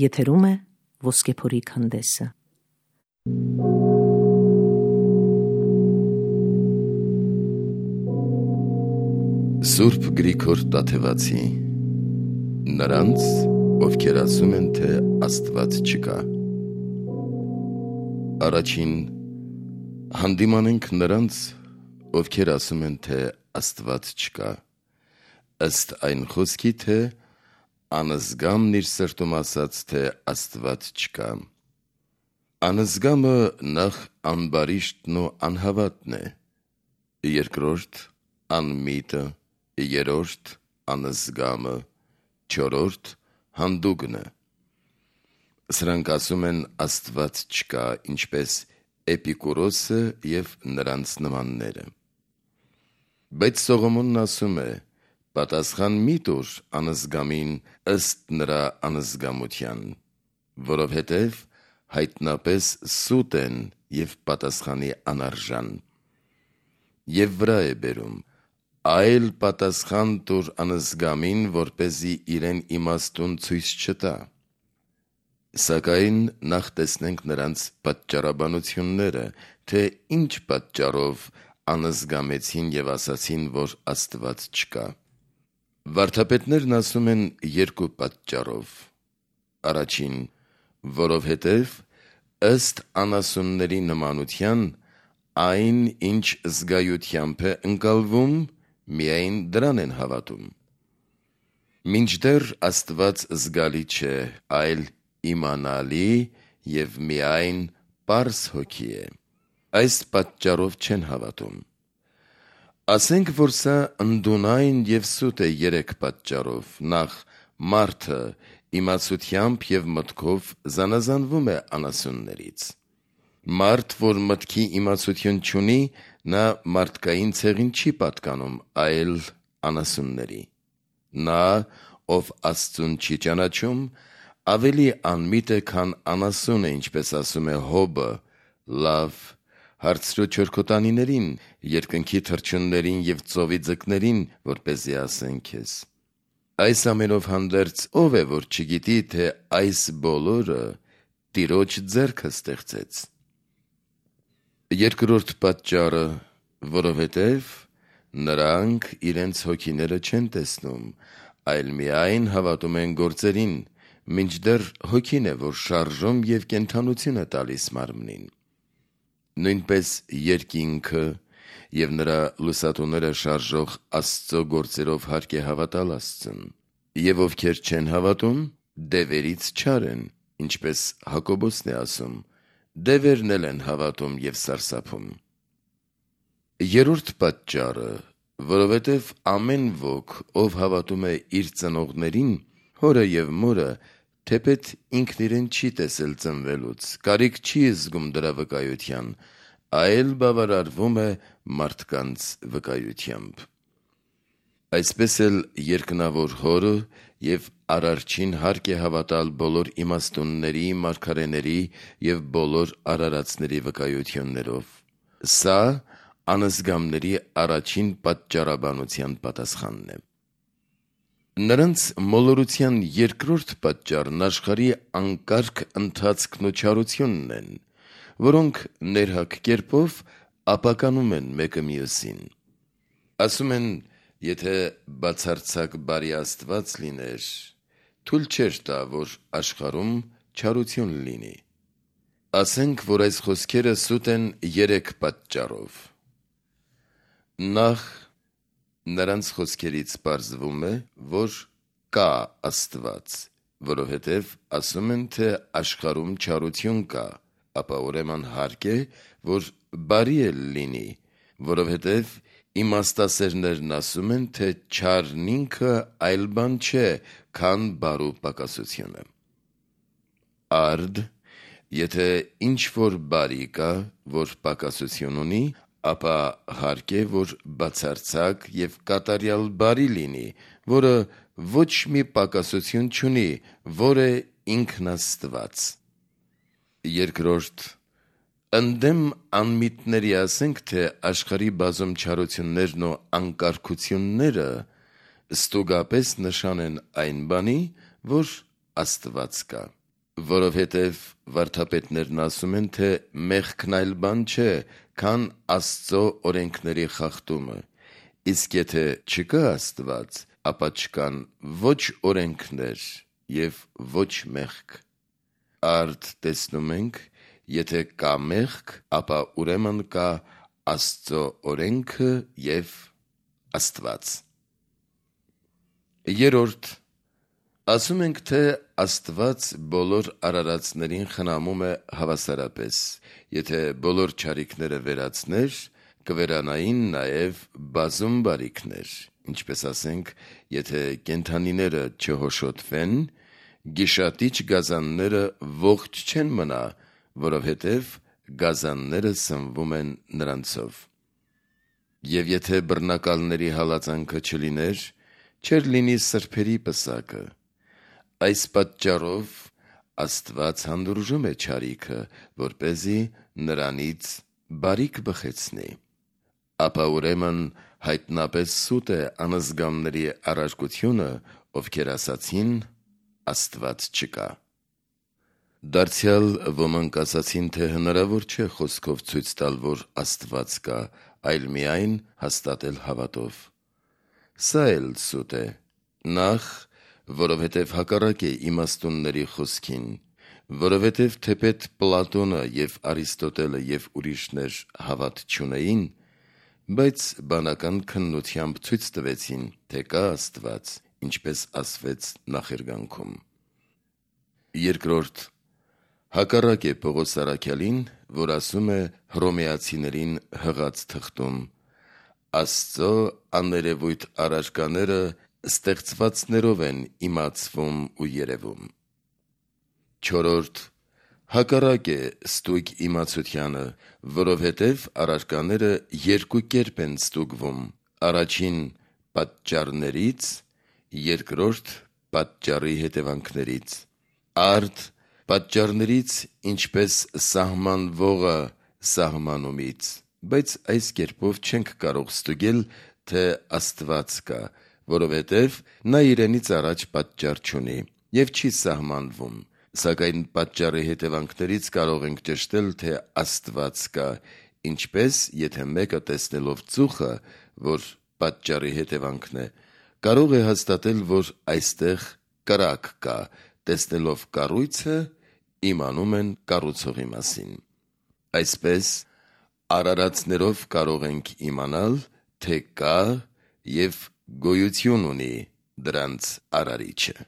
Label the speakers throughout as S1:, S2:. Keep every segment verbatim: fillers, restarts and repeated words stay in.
S1: Եթերում է Ոսկեփորի քանդեսը։
S2: Սուրբ Գրիգոր Տաթևացի, նրանց, ովքեր ասում են, թե Աստված չկա։ Առաջին հանդիմանենք նրանց, ովքեր ասում են, թե Աստված չկա, ըստ այն խոսքի, թե անզգամն իր սրտում ասաց, թե Աստված չկա։ Անզգամը նախ անբարիշտն ու անհավատն է, երկրորդ անմիտը, երրորդ անզգամը, չորրորդ հանդուգնը։ Սրանք ասում են Աստված չկա, ինչպես Էպիկուրոսը և նրանց նմանները։ Բայց Սողոմոնն ասում է. պատասխան մի տուր անզգամին ըստ նրա անզգամության, որովհետև հայտնապես սուտ են և պատասխանի անարժան։ Եվ վրա է բերում. այլ պատասխան տուր անզգամին, որպեսզի իրեն իմաստուն ցույց չտա։ Սակայն նախ տեսնենք նրանց պատճառաբանությունները, թե ինչ պատճառով անզգամեցին և ասացին, որ Աստված չկա։ Վարդապետներն ասում են երկու պատճառով. Առաջին, որովհետև ըստ անասունների նմանության, այն, ինչ զգայությամբ է ընկալվում, միայն դրան են հավատում։ Մինչդեռ Աստված զգալի չէ, այլ իմանալի և միայն պարզ հոգի է, այս պատճառով չեն հավատում։ Ասենք, որ սա ընդունայն և սուտ է երեք պատճառով. նախ, մարդը իմացությամբ և մտքով զանազանվում է անասուններից։ Մարդ, որ մտքի իմացություն չունի, նա մարդկային ցեղին չի պատկանում, այլ անասունների։ Նա, ով Աստծուն չի ճանաչում, ավելի անմիտ է, քան անասունը, ինչպես ասում է Հոբը. լավ, հարցրու չորքոտանիներին, երկնքի թռչուններին և ծովի ձկներին, որպեսզի ասեն քեզ։ Այս ամենով հանդերձ ով է, որ չգիտի, թե այս բոլորը Տիրոջ ձեռքը ստեղծեց։ Երկրորդ պատճառը, որովհետև նրանք իրենց հոգիները չեն տեսնում, այլ միայն հավատում են գործերին, մինչդեռ հոգին է, որ շարժում և կենդանություն է տալիս մարմնին։ Նույնպես երկինքը և նրա լուսատուները շարժող Աստծո գործերով հարկ է հավատալ Աստծուն, և ովքեր չեն հավատում, դևերից չար են, ինչպես Հակոբոսն է ասում. դևերն էլ են հավատում և սարսափում։ Երրորդ պատճառը, որովհետև ամեն ոք, ով հավատում է իր ծնողներին, հորը և մորը, թեպետ ինքն իրեն չի տեսել ծնվելուց, կարիք չի զգում դրա վկայության, այլ բավարարվում է մարդկանց վկայությամբ։ Այսպես էլ երկնավոր Հորը և Արարչին հարկ է հավատալ բոլոր իմաստունների, մարգարեների և բոլոր արարածների վկայություններով։ Սա անզգամների առաջին պատճառաբանության պատասխանն է։ Նրանց մոլորության երկրորդ պատճառն աշխարհի անկարգ ընթացքն ու չարությունն են, որոնք ներհակ կերպով ապականում են մեկը մյուսին։ Ասում են, եթե բացարձակ բարի Աստված լիներ, թույլ չէր տա, որ աշխարհում չարություն լինի։ Ասենք, որ այս խոսքերը սուտ են երեք պատճառով։ Նախ, նրանց խոսքերից պարզվում է, որ կա Աստված, որովհետև ասում են, թե աշխարհում չարություն կա, ապա ուրեմն հարկ է, որ բարի էլ լինի, որովհետև իմաստասերներն ասում են, թե չարն ինքը այլ բան չէ, քան բարու պակասությունը։ Արդ, եթե ինչ-որ բարի կա, որ պակասություն ունի, ապա հարկ է, որ բացարձակ և կատարյալ բարի լինի, որը ոչ մի պակասություն չունի, որ է ինքն Աստված։ Երկրորդ, ընդդեմ անմիտների ասենք, թե աշխարհի բազում չարություններն ու անկարգությունները ստուգապես նշան են այն բանի, որ Աստված կա։ որովհետև վարդապետներն ասում են, թե մեղքն այլ բան չէ, քան Աստծո օրենքների խախտումը, իսկ եթե չկա Աստված, ապա չկան ոչ օրենքներ և ոչ մեղք։ Արդ տեսնում ենք, եթե կա մեղք, ապա ուրեմն կա Աստծո օրենքը և Աստված։ Երորդ, ասում ենք, թե Աստված բոլոր արարածներին խնամում է հավասարապես, եթե բոլոր չարիքները վերացներ, կվերանային նաև բազում բարիքներ, ինչպես ասենք, եթե կենդանիները չհոշոտվեն, գիշատիչ գազանները ողջ չեն մնա, որովհետև գազանները սնվում են նրանցով։ Եվ եթե բռնակալների հալածանքը չլիներ, չէր լինի սրբերի պսակը։ Այս պատճառով Աստված հանդուրժում է չարիքը, որպեսզի նրանից բարիք բխեցնի։ Ապա ուրեմն հայտնապես սուտ է անզգամների առարկությունը, ովքեր ասացին. Աստված չկա։ Դարձյալ ոմանք ասացին, թե հնարավոր չէ խոսքով ցույց տալ, որ Աստված կա, այլ միայն հաստատել հավատով։ Սա էլ սուտ է, նախ, որովհետև հակառակ է իմաստունների խոսքին, որովհետև թեպետ Պլատոնը և Արիստոտելը և ուրիշներ հավատ չունեին, բայց բանական քննությամբ ցույց տվեցին, թե կա Աստված, ինչպես ասվեց նախերգանքում։ Երկրորդ, հակառակ է Պողոս առաքյալին, որ ասում է Հռոմեացիներին հղած թղթում. Աստծո աներևույթ առարկաները ստեղծվածներով են իմացվում ու երևում։ Չորրորդ, հակառակ է ստույգ իմացությանը, որովհետև առարկաները երկու կերպ են ստուգվում. առաջին պատճառներից, երկրորդ պատճառի հետևանքներից։ Արդ պատճառներից, ինչպես սահմանվողը սահմանումից, բայց այս կերպով չենք կարող ստուգել, թե Աստված կա, որովհետև նա իրենից առաջ պատճառ չունի և չի սահմանվում, սակայն պատճառի հետևանքներից կարող ենք ճշտել, թե Աստված կա, ինչպես, եթե մեկը տեսնելով ծուխը, որ պատճառի հետևանքն է, կարող է հաստատել, որ այստեղ կրակ կա, տեսնելով կառույցը, իմանում են կառուցողի մասին։ Այսպես, արարածներով կարող ենք իմանալ, թե կա և գոյություն ունի դրանց արարիչը։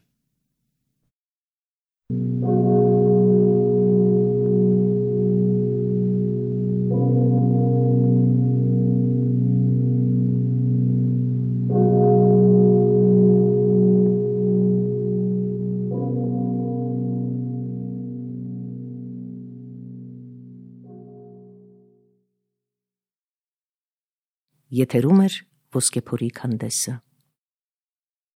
S1: Եթերում է Ոսկեփորի քանդեսը։